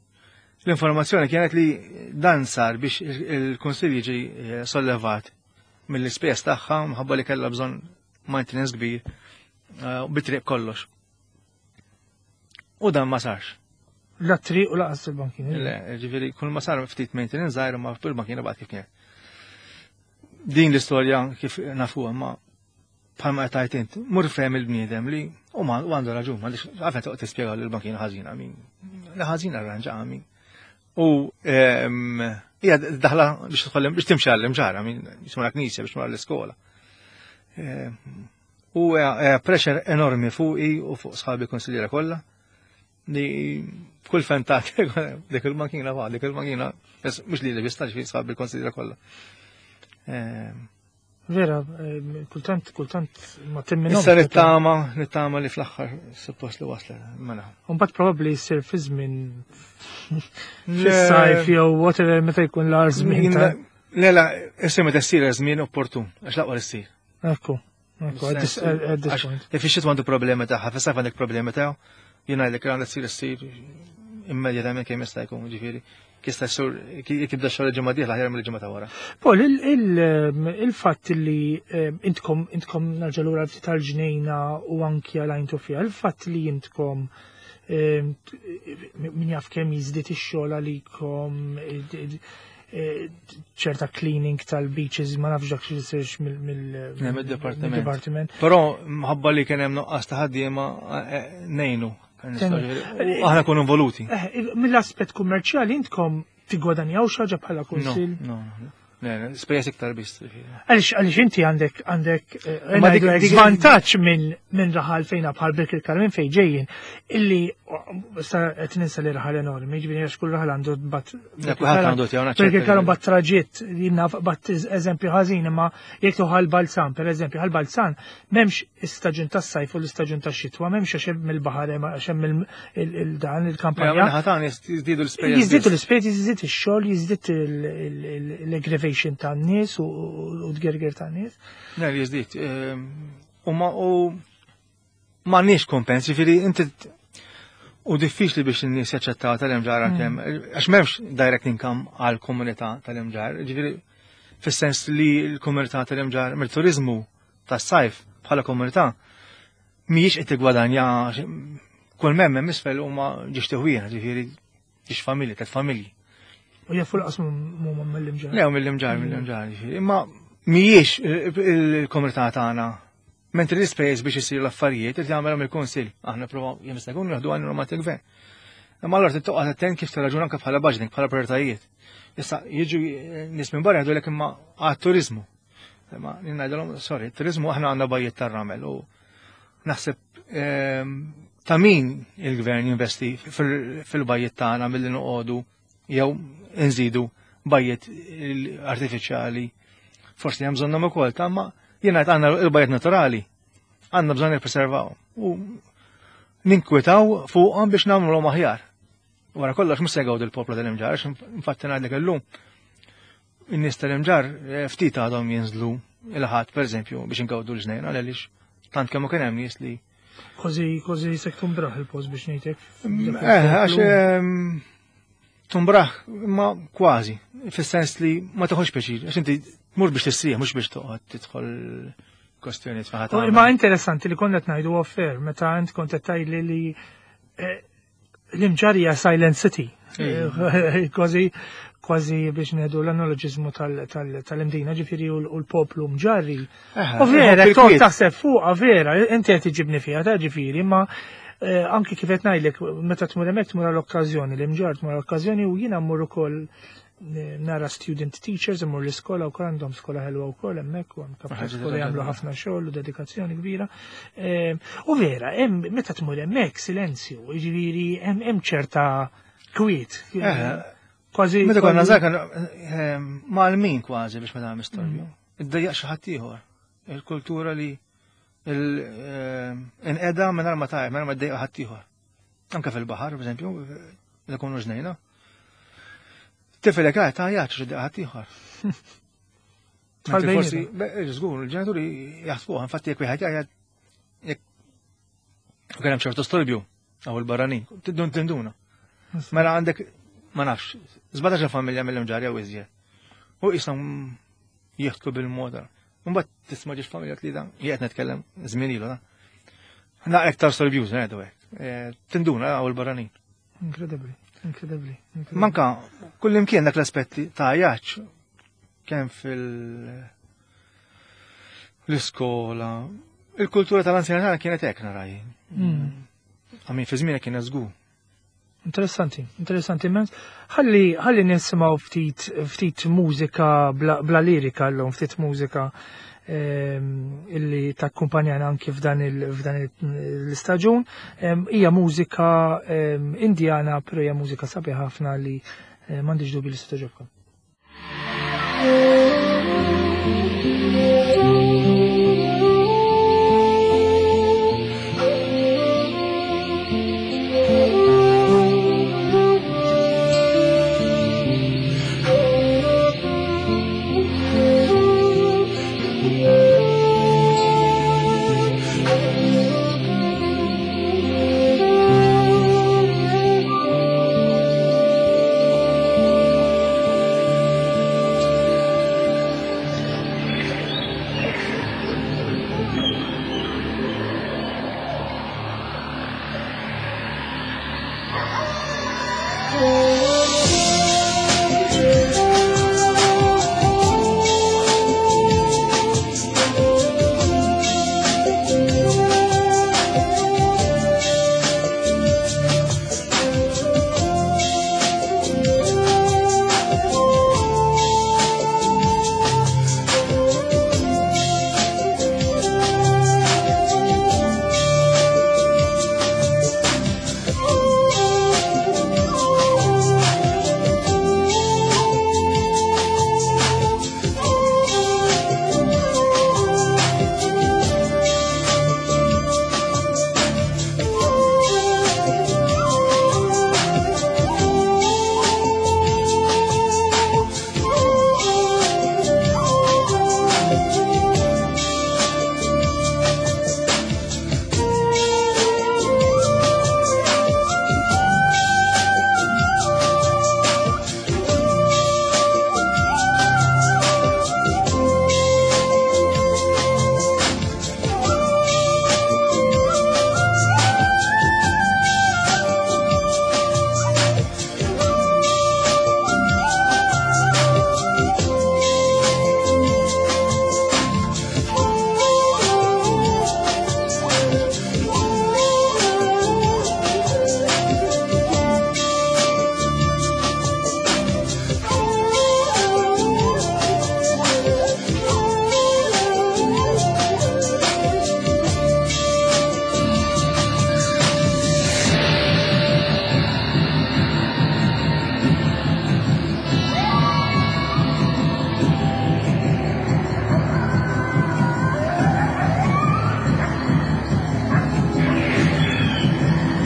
L-informazzjoni kienet li dan sar biex il-Kunsill jiġi eh, sollevat mill-ispejjeż tagħha mħabba li kellha bżonn maintenance kbir bitriq kollox. U dan ma sarx. La triq u laqas il-bankina. Le, ġifieri kull ma sar ftit maintenance żgħir ma fil-bankina baqgħet kif kienet. Din l-istorja kif nafuha ma bħalma qed tgħid int, mur fehem il-bniedem li u ma għandu raġun, ma għafen toqgħod tispjega li l-bankina ħażina min. La ħażina arranġa min. U ehm, hija daħla biex tħollem biex timxi għall-imġara min jisma' knisja biex tmur l-iskola. Ehm, U pressure enormi fuqi u fuq sħabi konsiljera kollha li kull fentat dik il-makina fa' dik il-makina mhux li li biss fi sħabi konsiljera kollha. Ehm. Vera, ehm, kultant, kultant ma temminhom. Issa nittama, nittama li fl-aħħar suppost li waslet, mela. Mbagħad probabbli jsir fi żmien fis-sajf jew whatever meta jkun l-għar żmien. Le, la, issa meta ssir żmien opportun, għax laqwa li ssir. Ekku, ekku, at this, at this point. Ifixxit għandu problemi tagħha, fis-sajf għandek problemi tiegħu, jien ngħidlek għandha tsir issir immedjatament kemm jista' jkun, ġifieri. Kista sur jekk jibda xogħol il-ġimgħa dieħla aħjar mill-ġimgħa ta' wara. Paul, il-fatt li intkom intkom nerġa' lura ftit tal-ġnejna u anki għal fiha, il-fatt li intkom min jaf kemm jiżdied ix-xogħol għalikom ċerta cleaning tal-beaches, ma nafx dak xi jsirx mill-departiment. Però mħabba li kien hemm nuqqas ta' ħaddiema eh, eh, ngħinu. Aħna kunu involuti. Eh, mill-aspett kummerċjali intkom tigwadanjaw xi ħaġa bħala kunsill? No, no. Spejjeż iktar biss. Għaliex għaliex inti għandek għandek eh, żvantaġġ minn min raħal fejna bħal Birkirkara minn fejn ġejjin illi sa qed ninsa li raħal enormi, ġifieri għax kull raħal għandu bat Birkirkara bat traġitt, jien bat eżempju ħażin imma jekk tuħal balzan, pereżempju ħal balzan M'hemmx istaġun tas-sajf u l-istaġun tax-xitwa, m'hemmx għax hemm il-baħar hemm għax hemm il-dan il-kampanja. Ħatan jiżdiedu l-ispejjeż. Jiżdiedu l-ispejjeż, jiżdied ix-xogħol, jiżdied l-aggravation tan-nies u t-gerger tan-nies. Le, jiżdied. Ehm, u ma u m'għandniex kompens, jiġifieri inti u diffiċli biex in-nies jaċċettaw tal-imġar għalkemm mm. għax m'hemmx direct income għal komunità tal-imġar, ġifieri fis-sens li l-komunità tal-imġar mill-turizmu tas-sajf bħala komunità mhijiex qed tiggwadanja kull mem hemm isfel huma ġiex tiħwieħ, ġifieri ġiex familji, tliet familji. U jafu laqas huma mill-imġar. Le, mill-imġar, mill-imġar, ġifieri. Imma mhijiex il-komunità tagħna Mentri l-ispejjeż biex isir l-affarijiet irid jagħmelhom il-Kunsill. Aħna provaw jiem jista' jkun nieħdu għajn ma gvern. Imma allura trid toqgħod attent kif tirraġuna anke bħala budgeting, bħala prioritajiet. Issa jiġu nies minn barra jgħidulek imma għat-turiżmu. Imma ngħidilhom, sorry, turizmu aħna għandna bajjiet tar-ramel u naħseb ehm, ta' min il-gvern jinvesti fil-bajjiet tagħna milli noqogħdu jew nżidu bajjiet artifiċjali. Forsi hemm bżonnhom ukoll, ta' ma jien ngħid għandna l-bajjiet naturali, għandna bżonn nippreservaw u ninkwitaw fuqhom biex nagħmluhom aħjar. Wara kollox mhux se jgawdu l-poplu tal-imġar, infatti ngħidlek illum In-nies tal-imġar eh, ftit għadhom jinżlu il-ħadd pereżempju biex ingawdu l-ġnejn għaliex tant kemm kien hemm nies li Kważi kważi se tkun braħ il-post biex ngħidlek. Mm, eh, għax ehm, Tumbraħ, imma kważi, fis-sens li ma toħodx pjaċir, għax inti tmur biex tistrieħ, mhux biex toqgħod tidħol kwestjonijiet fejn ħadd. Imma interessanti li konna qed ngħidu offer meta int kont qed tgħidli li eh, l-Imġarr hija Silent City. Kważi kważi biex ngħidu l-analoġiżmu tal-Imdina, ġifieri u l-poplu mġarri. U vera, toqgħod taħseb fuqha vera, inti qed iġibni fiha ta' ġifieri, ma eh, anki kif qed ngħidlek meta tmur hemmhekk tmur għall-okkażjoni, l-Imġarr tmur għall-okkażjoni u jiena mmur ukoll eh, nara student teachers imur l-iskola u għandhom skola ħelwa wkoll hemmhekk u hemm kap skola jagħmlu ħafna xogħol u dedikazzjoni kbira. Eh, u vera, hemm meta tmur hemmhekk silenzju, jiġifieri hemm ċerta kwiet. Kważi. Meta konna żgħar kan ehm, mal-min kważi biex ma tagħmel storbju. Mm. Iddejjaq xi ħadd ieħor. Il-kultura li ehm, inqeda mingħajr ma tajjeb, mingħajr ma ddejjaq ħadd ieħor. Anke fil-baħar, pereżempju, li kunu ġnejna. Tifel jekk għajt għajat xi ħadd ieħor. Forsi, żgur, il-ġenituri jaħsbuha, infatti jekk wieħed jgħid jekk kien hemm ċertu storbju, Għaw il-barranin, tindun tinduna. Mela għandek, ma nafx, 17 familja mill-imġarja u iżjed. U jisam jieħdku bil-moda. Mbagħad tisma' ġiex familja tlida, jgħid nitkellem żmien ilu da. Na iktar sorbjuż ngħidu hekk. Eh, tinduna għaw il-barranin. Inkredibbli, inkredibbli. Manka, kull imkien dak l-aspetti ta' jaċ kemm fil- l-iskola. Il-kultura tal-anzjani tagħna kienet hekk naraj. Hmm. Għamin fi żmienek kienet żgur. Interessanti, interessanti immens. Ħalli ħalli nisimgħu ftit ftit mużika bla, bla lirika llum, ftit mużika ehm, illi takkumpanjana anki f'dan l-istaġun. Ehm, hija mużika ehm, indjana, però hija mużika sabiħa ħafna li eh, m'għandix dubju li se togħġobkom.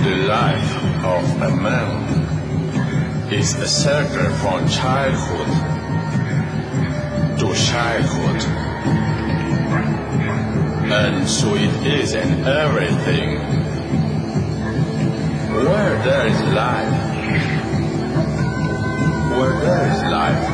The life of a man is a circle from childhood to childhood. And so it is in everything. Where there is life, Where there is life.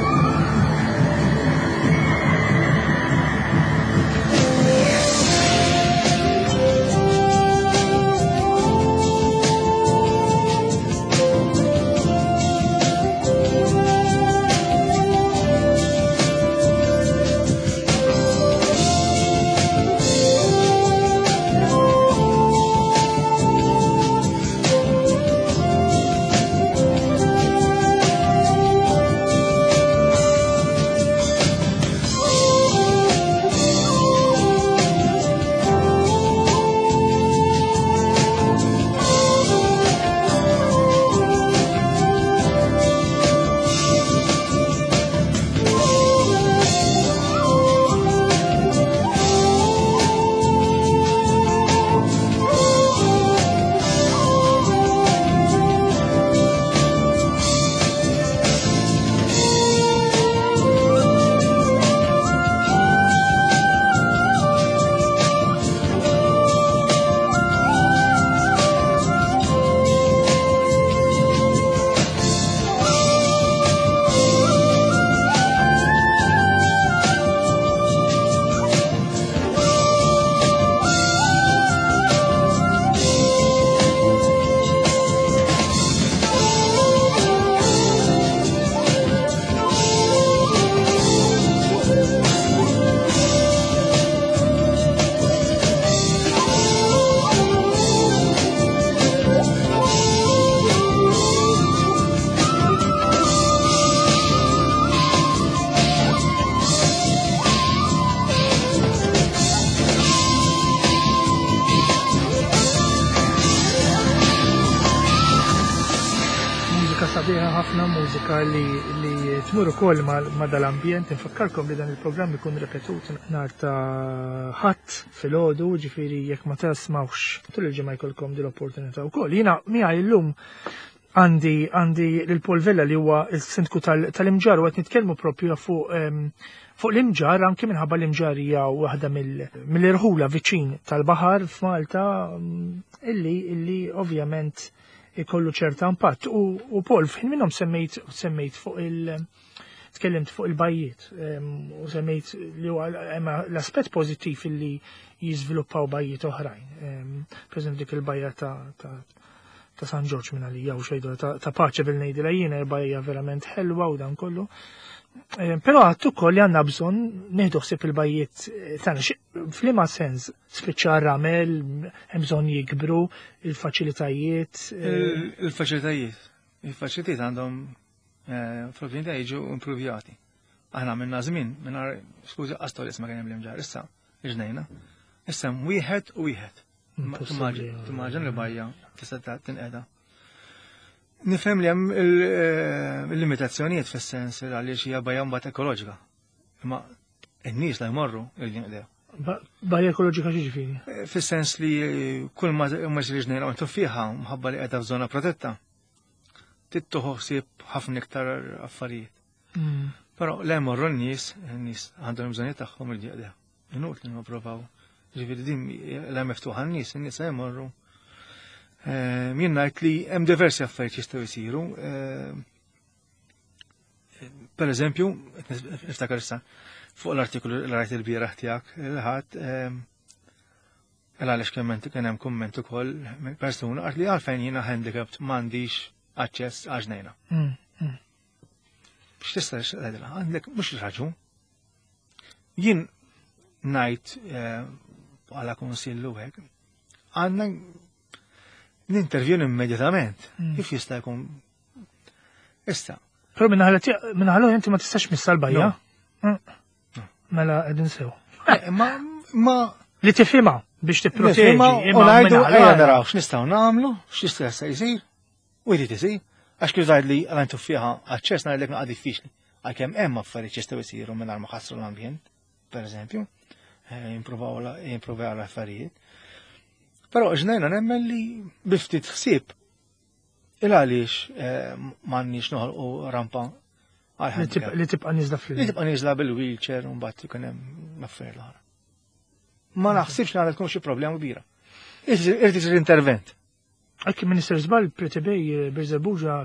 Mużika sabiħa ħafna, mużika li, li tmur ukoll ma, ma dal-ambjent. Infakkarkom li dan il-programm ikun ripetut nhar ta' ħadd filgħodu, ġifieri jekk ma tasmawx tul il-ġimgħa jkollkom din l-opportunità wkoll. Jiena miegħi llum għandi għandi lil Paul Vella li huwa s-sindku tal-Imġarr u qed nitkellmu propju fuq fuq l-Imġarr anke minħabba l-Imġarr hija waħda mill-irħula viċin tal-baħar f'Malta illi illi ovvjament ikollu ċerta impatt. U, u Paul, f'ħin minnhom semmejt semmejt fuq il- tkellimt fuq il-bajjiet u semmejt li huwa l-aspett pożittiv illi jiżviluppaw bajjiet oħrajn. Per eżempju dik il-bajja ta', ta, ta' San Ġorġ minn għalija u xejdu ta', ta paċe bil ngħidilha jiena bajja verament ħelwa u dan kollu. Però għattu ukoll li għandna bżonn nieħdu ħsieb il-bajjiet tagħna. F'liema sens spiċċa ramel, hemm bżonn jikbru il-faċilitajiet. Il-faċilitajiet. Il-faċilitajiet għandhom fl-opinjoni tiegħi jiġu improvjati. Aħna minna żmien, mingħajr skużi qas li ma kien hemm l-Imġarr, issa ġnejna. Issa hemm wieħed u wieħed. Impossibbli. Timmaġina li bajja tista' tinqeda. Nifhem li hemm il-limitazzjonijiet fis-sens li għaliex hija bajja mbagħad ekoloġika. Imma n-nies la jmorru jridu jinqdew. Bajja ekoloġika x'jiġifieri? Fis-sens li kull ma jsir ġnejna u tuffiħa mħabba li qiegħda f'żona protetta. Tittuħu ħsieb ħafna iktar affarijiet. Però le jmorru n-nies, n-nies għandhom bżonnijiet tagħhom li jinqdew. Inutli nipprovaw. Ġifieri din la miftuħa n-nies, n-nies jmorru. Jien ngħid li hemm diversi affarijiet jistgħu jsiru. Per eżempju, niftakar issa fuq l-artikolu li rajt il-bieraħ tiegħek il-ħadd, għaliex kien hemm kumment ukoll minn persuna qalt li għalfejn jiena handicapped m'għandix aċċess għal ġnejna. X'tista' tgħidilha? Għandek mhux raġun. Jien ngħid bħala kunsillu hekk, għandna nintervjenu immedjatament. Kif jista' jkun? Issa. Però minnaħa l-oħra inti ma tistax missa l-bajja. Mela qegħdin sew. Ma li tifhimha biex tipproteġi. Nifhimha u ngħidu ejja naraw x'nistgħu nagħmlu, x'jista' jsir, u jrid isir. Għax kif tgħid li għal tuffiħa aċċess ngħidlek naqa' diffiċli. Għalkemm hemm affarijiet jistgħu jsiru mingħajr ma ħassru l-ambjent, pereżempju, jimpruvaw l-affarijiet. Però ġnejna nemmen li bi ftit ħsieb il għaliex m'għandniex noħolqu rampa għal Li handicap. tibqa' nieżla fl- Li tibqa' nieżla bil-wheelchair u mbagħad ikun hemm affarijiet l-oħra. Ma naħsibx li għandha tkun xi problema kbira. Irid isir intervent. Anki Minister Żball, Pretty Bay, Birżebbuġa,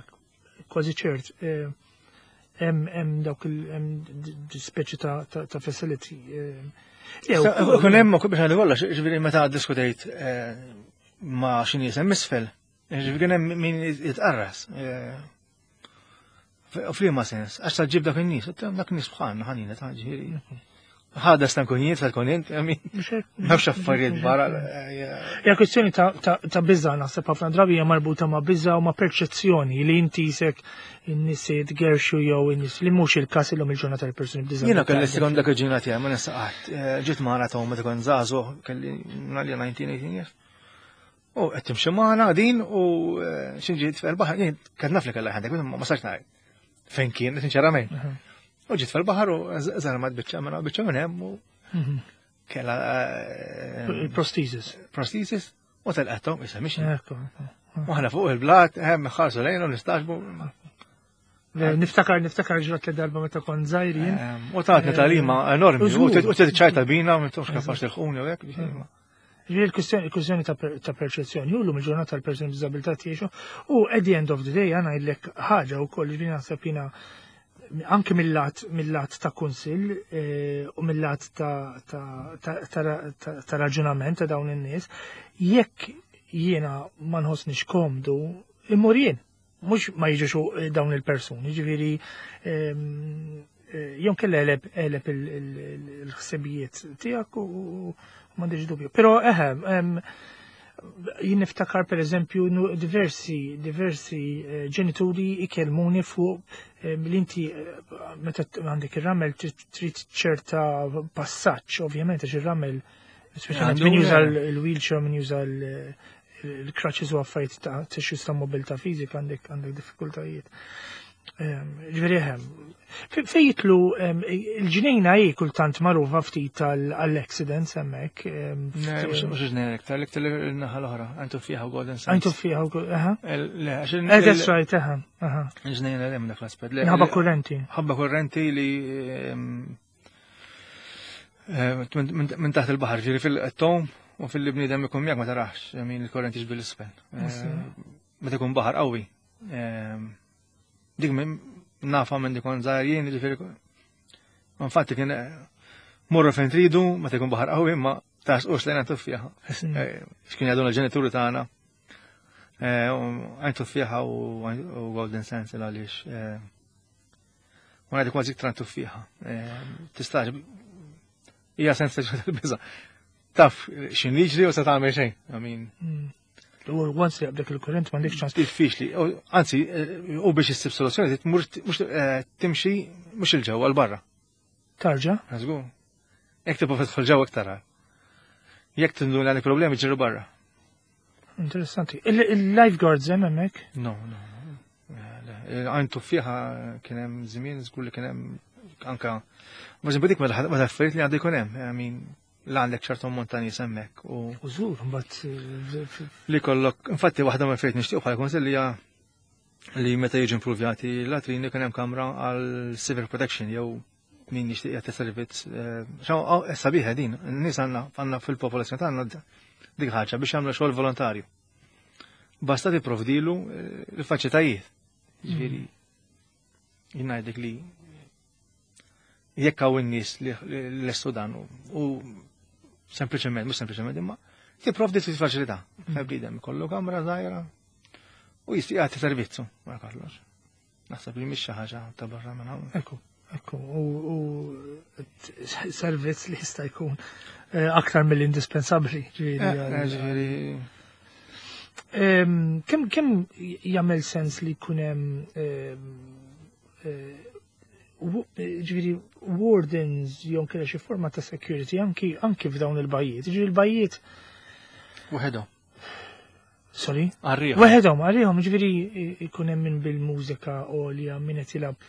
kważi ċert, Hemm dawk il speċi ta' facility. Kun hemm biex ngħidu kollox, ġifieri meta diskutejt eh, ma' xi nies hemm isfel, ġifieri kien hemm min jitqarras. Eh, u f'liema sens, għax ta' ġib dak in-nies, dak nies bħalna ħanina ta' ġifieri. Ħada stan kun jien, tal-kun jien, nafx affarijiet barra. Ja kwestjoni ta' biża naħseb ħafna drabi hija marbuta ma' biża u ma' perċezzjoni li inti jisek in-nies jitgerxu jew in-nies li mhux il-każ illum il-ġurnata tal-persuni b'diżabilità. Jiena kelli sekonda ġina tiegħi ma nistaqat. Eh, ġiet magħna ta' meta kont żagħżugħ kelli ngħalli 19 18 years. U qed timxi magħna din u eh, xi ġiet fil-baħar, jien kien naf li kellha ħandek, ma sax ngħid. Fejn kien, sinċerament. U ġiet fil-baħar u żarmat biċċa minn biċċa minn hemm u mhm. kellha eh, prosthesis. Prosthesis u telqethom issa mhix. U aħna fuq il-blat, hemm ħarsu lejn u nistaġbu. Niftakar, niftakar ġrat li darba meta kont żgħir jien. U tatni talima enormi, u ċajta bina, ma tafx kapax tilħuni u hekk. Ġifieri l-kwistjoni ta' perċezzjoni, u llum il-ġurnata tal-persuni b'diżabilità jgħixu, u at the end of the day għana ngħidlek ħaġa wkoll ġifieri naħseb jiena anke mill-lat mill-lat ta' kunsill eh, u mill-lat ta' raġunament ta' dawn in-nies, jekk jiena ma nħossniex komdu, immur jien. Mhux ma jiġux eh, dawn il-persuni, ġifieri ehm, eh, jew kella eleb eleb il-ħsibijiet tiegħek u m'għandix dubju. Però eħe, ehm, jien niftakar per eżempju diversi diversi eh, ġenituri ikellmuni fuq ehm, li inti meta għandek ir-ramel trid ċerta passaġġ, ovvjament għax ir-ramel speċjalment min juża l-wheelchair, min juża l-crutches u affarijiet ta' tissues ta' mobilità fiżika għandek għandek diffikultajiet. Ehm, ġifieri ehm, fej jitlu ehm, il-ġnejna hi kultant magħrufa ftit għall-accidents hemmhekk. Mhux ġnejna iktar, l-iktar il-naħa l-oħra, għantu fiha u Golden Sands. Għantu fiha u aha. Le, għax eh, that's right, aha, aha. Il-ġnejna hemm dak l-aspett. Ħabba kurrenti. Ħabba kurrenti li Eh, minn taħt il-baħar, ġiri fil-tom u fil-bniedem ikun miegħek ma tarax min il-korrent jiġbi l-isfel. Eh, meta jkun baħar qawwi. Eh, dik nafa minn dik żgħar jien, ġifieri. Infatti kien morru fejn tridu, meta jkun baħar qawwi, ma tarsqux lejna tuffieħa. X'kien jgħiduna l-ġenituri tagħna. Għajn tuffieħa u Golden Sense għaliex U ngħidu kważi iktar tuffieħa. Eh, tista' hija sensazzjoni tal-biża'. Taf x'in jiġri u se tagħmel xejn. I mean. Hmm. U once li għabdek il-kurrent ma ċans. Diffiċli. Anzi, eh, u biex issib soluzzjoni tmur eh, timxi mhux il-ġewwa l-barra. Tarġa? Żgur. Jekk tibqa' tidħol ġewwa iktar. Jekk tinduna għandek problemi ġiru barra. Interessanti. Il-lifeguards hemm hemmhekk? No, no. Għajn tuffiħa kien hemm żmien żgur li kien hemm anka Ma dik mela affarijiet li għandu jkun hemm, I mean, la għandek ċertu montani hemmhekk u. U żgur, mbagħad eh, li kollok, infatti waħda mill affarijiet nixtieq bħala kunsill hija li meta jiġu improvjati l-latrini kien hemm kamra għal civil protection jew min jixtieq jagħti servizz. Eh, eh, sabiħa din, n-nies għandna għandna fil-popolazzjoni tagħna dik ħaġa biex jagħmlu xogħol volontarju. Basta tipprovdilu eh, l-faċilitajiet. Ġifieri jien ngħidlek li jekk hawn in-nies li lestu dan u sempliċement, mhux sempliċement imma tipprovdi fil-faċilità. Bniedem ikollu kamra żgħira u jistieq jagħti servizzu wara kollox. Naħseb li mhix xi ħaġa ta' barra minn hawn. Ekku, ekku, u servizz li jista' jkun eh, aktar mill-indispensabbli. Ġifieri. Eh, eh, ġifieri. Kemm kemm jagħmel sens li jkun hemm ġifieri wardens jew kella xi forma ta' security anki anki f'dawn il-bajjiet. Ġifieri il-bajjiet Waħedhom. Sorry? Għarrihom. Waħedhom, għarrihom, ġifieri jkun hemm min bil-mużika għolja, min qed jilgħab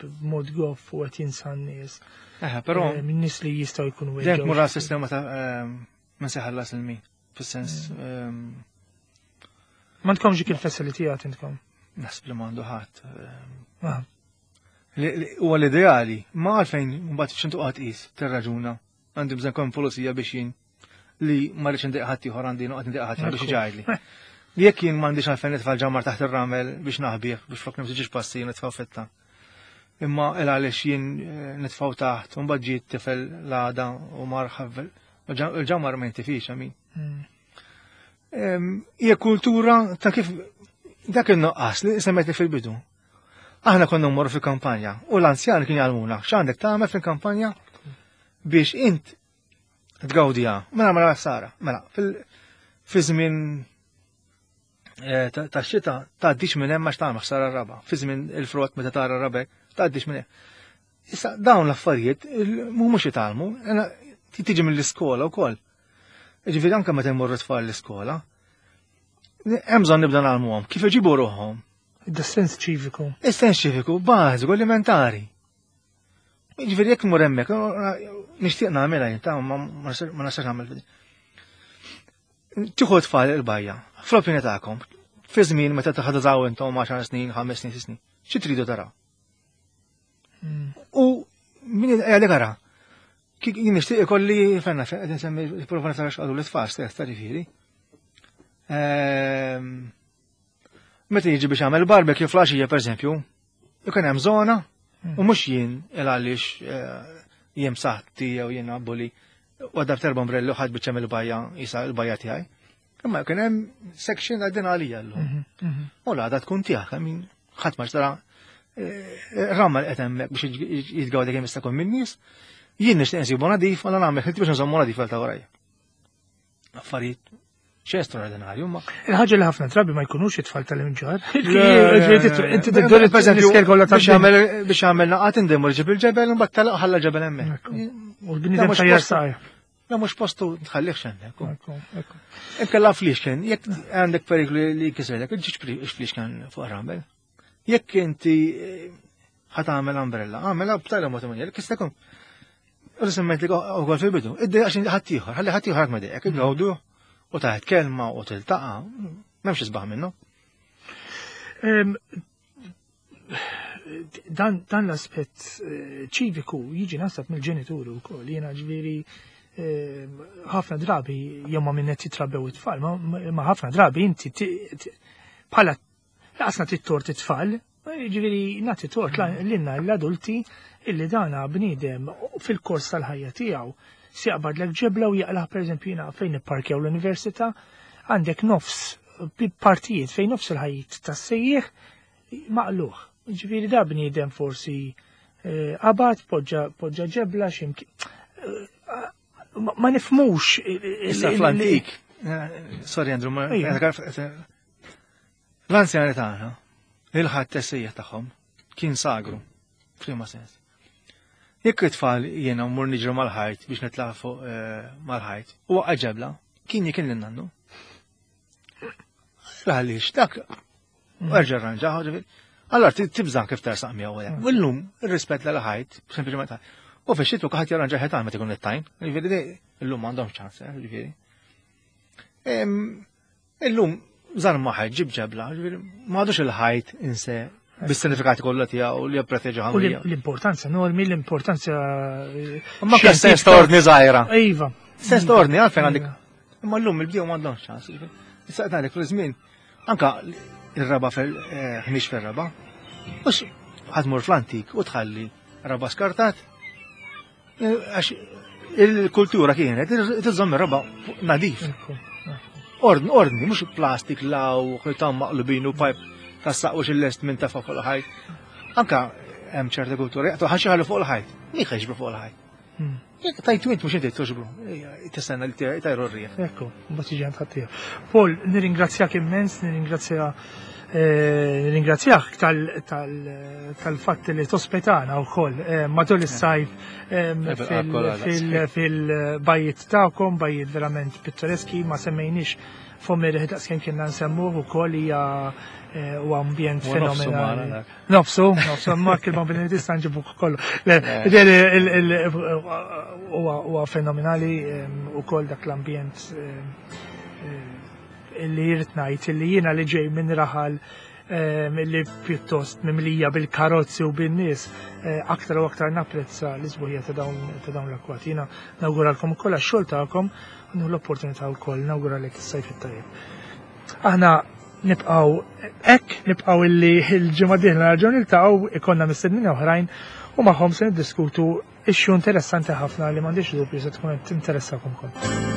b'mod goff u qed jinsa n-nies. Eħe, però eh, min nies li jistgħu jkunu Dejjem tmur sistema ta' eh, min se ħallas il-min, fis-sens. Mm. Ehm, ma tkomx dik il-facility għad intkom. Naħseb li m'għandu ħadd. Ehm, ah. Huwa l-ideali, ma għalfejn mbagħad x'intu qatt qis tirraġuna. Għandi bżonn kon pulizija biex jien li ma rridx indejq ħadd ieħor għandi noqgħod indejq ħadd biex iġajli. Jekk jien m'għandix għalfejn nitfa' ġamar taħt ir-ramel biex naħbih biex flok nimsi ġiex passi nitfa' fetta. Imma il għaliex jien eh, nitfgħu taħt, u mbagħad ġie tifel l-għada u mar ħavel. Il-ġamar ma jintifix, għamin. Hija kultura ta' kif dak il-noqqas li semmejt fil-bidu. Aħna konna mmorru fil-kampanja u l-anzjan kien jgħalmuna x'għandek tagħmel fil-kampanja biex int tgawdiha. Mela mela sara, mela fi żmien eh, ta' xita tgħaddix minn hemm għax tagħmel ħsara raba. Fi żmien il-frott meta tara rabek tgħaddix minn hemm. Issa dawn l-affarijiet mhumiex jitgħallmu, tiġi mill-iskola wkoll. Ġifieri anke meta jmorru tfal l-iskola, hemm bżonn nibda nagħlmuhom kif iġibu ruħhom. Id-sens ċiviku. Is-sens ċiviku bażiku elementari. Ġifieri jekk mur hemmhekk, nixtieq nagħmilha jien ta' ma nistax nagħmel. Tieħu tfal il-bajja, fl-opinjoni tagħkom, fi żmien meta taħdażaw intom 10 snin, 5 snin, 6 snin, xi tridu taraw? U min għalek ara, jien nixtieq ikolli fenna qed insemmi prova nara x'qalu l-itfal stess ta' ġifieri. Ehm, meta jiġi biex jagħmel barbecue flaxija pereżempju, ikun hemm żona u mhux jien il għaliex eh, jien saħti jew jien abbuli u għadab terba ombrelli u ħadd biċċa mill-bajja jisa l-bajja tiegħi. Imma kien hemm section għaddin għalija llum. Mhm, mhm. U l-għada tkun tiegħek, min ħadd ma xtara eh, ramma li qed hemmhekk biex jitgawdi kemm jista' jkun min-nies. Jien nixtieq nsibu nadif, u nagħmel ħilti biex nżommu nadif għal ta' warajja. Affarijiet xejn straordinarju ma. Il-ħaġa li ħafna drabi ma jkunux it-tfal tal-imġar. Inti tiddur biex għamel naqat indemmu ġib il-ġebel mbagħad telaq ħalla ġebel hemmhekk. U l-bniedem tajjar saqajh. La mhux postu tħallihx hemmhekk. Inkella fliexken, jekk għandek periklu li jkisrelek, ġiġ fliexken fuq ramel. Jekk inti eh, ħat għamel umbrella, għamela b'tali mod imman jekk jista' jkun. U semmejt li ukoll fil-bidu, id għax ħadd ieħor, ħalli ħadd ieħor ħadd ma dejjek, igawdu u taħt kelma u tiltaqa' m'hemmx isbaħ minnu. Dan, dan l-aspett eh, ċiviku jiġi naħseb mill-ġenituri wkoll. Jiena ġifieri eh, ħafna drabi jew ma minn qed jitrabbew it-tfal, ma ħafna drabi inti bħala laqas nagħti tort it-tfal, ġifieri nagħti tort lilna l-adulti illi dana bniedem fil-kors tal-ħajja tiegħu si jaqbadlek ġebla u jaqlaħ pereżempju jiena fejn nipparkjaw l-università għandek nofs partijiet fejn nofs il-ħajt tas-sejjieħ maqluħ. Ġifieri da bniedem forsi eh, qabad poġġa ġebla x'imkien. Eh, ma nifmux. Issa fl-antik. Eh, sorry Andrew, ma l-anzjani tagħna, il-ħadd tessejja tagħhom kien sagru, f'liema sens. Jekk it-tfal jiena mmur niġru mal-ħajt biex nitla' fuq mal-ħajt, u waqqa' ġebla, kien jikil lin-nannu. Għaliex dak Erġa' rranġa, ġifieri. Allora tibża' kif tersaq miegħu hekk. U llum ir-rispett l ħajt, sempliċement. U fix-xitwa kulħadd jarranġa ħetan meta jkun it-tajn. Ġifieri illum m'għandhomx ċans, eh, ġifieri. Illum żarma ħajt ġib ġebla, ġifieri m'għadux il-ħajt inse bis-sinifikati kollha tiegħu li jipproteġi ħamrija. L-importanza normi, l-importanza. Eh, Ma kien sens ta' ordni żgħira. Iva. Sens ta' ordni għalfejn għandek. Imma llum il-bdiew m'għandhomx ċans. Issa qed ngħidlek fil-żmien Anka ir-raba fil-ħmiex eh, fil-raba. Mux ħadmur fl-antik u tħalli raba skartat. Eh, għax il-kultura kienet tiżomm ir-raba nadif. Ordni, ordni, mux plastik law, ħitan maqlubin u pajp ta' saqwa xil-lest minn tafa fuq il-ħajt. Anka hemm ċerta kultura, jaqtu ħaxi ħallu fuq il-ħajt. Min ħeġbru fuq il-ħajt? Hmm. Jekk tajtu int mhux inti toġbru, tistenna li tajru r-riħ. Ekku, mbagħad jiġi għand ħaddieħor. Paul, nirringrazzjak immens, nirringrazzja eh, nirringrazzjak tal-fatt li tospetana wkoll eh, matul is-sajf eh, fil-bajjiet tagħkom, bajjiet verament pittoreski, ma semmejniex fommi li daqskemm kienna nsemmuh ukoll hija u ambjent fenomenali. Nofsu, nofsu, ma kien ma bini tista' nġibu kollu. Huwa fenomenali ukoll dak l-ambjent li jrid ngħid li jiena li ġej minn raħal li pjuttost mimlija bil-karozzi u bin-nies eh, aktar u aktar napprezza l-isbuħija ta' dawn l-akwat. Jiena nawguralkom ukoll għax-xogħol tagħkom u l-opportunità wkoll nawguralek is-sajf it-tajjeb. Aħna. Nibqgħu hekk, nibqgħu illi l-ġimgħa dieħla nerġgħu niltaqgħu ikollna mistednin oħrajn u magħhom se niddiskutu issue interessanti ħafna li m'għandix dubju se tkun qed tinteressakom ukoll.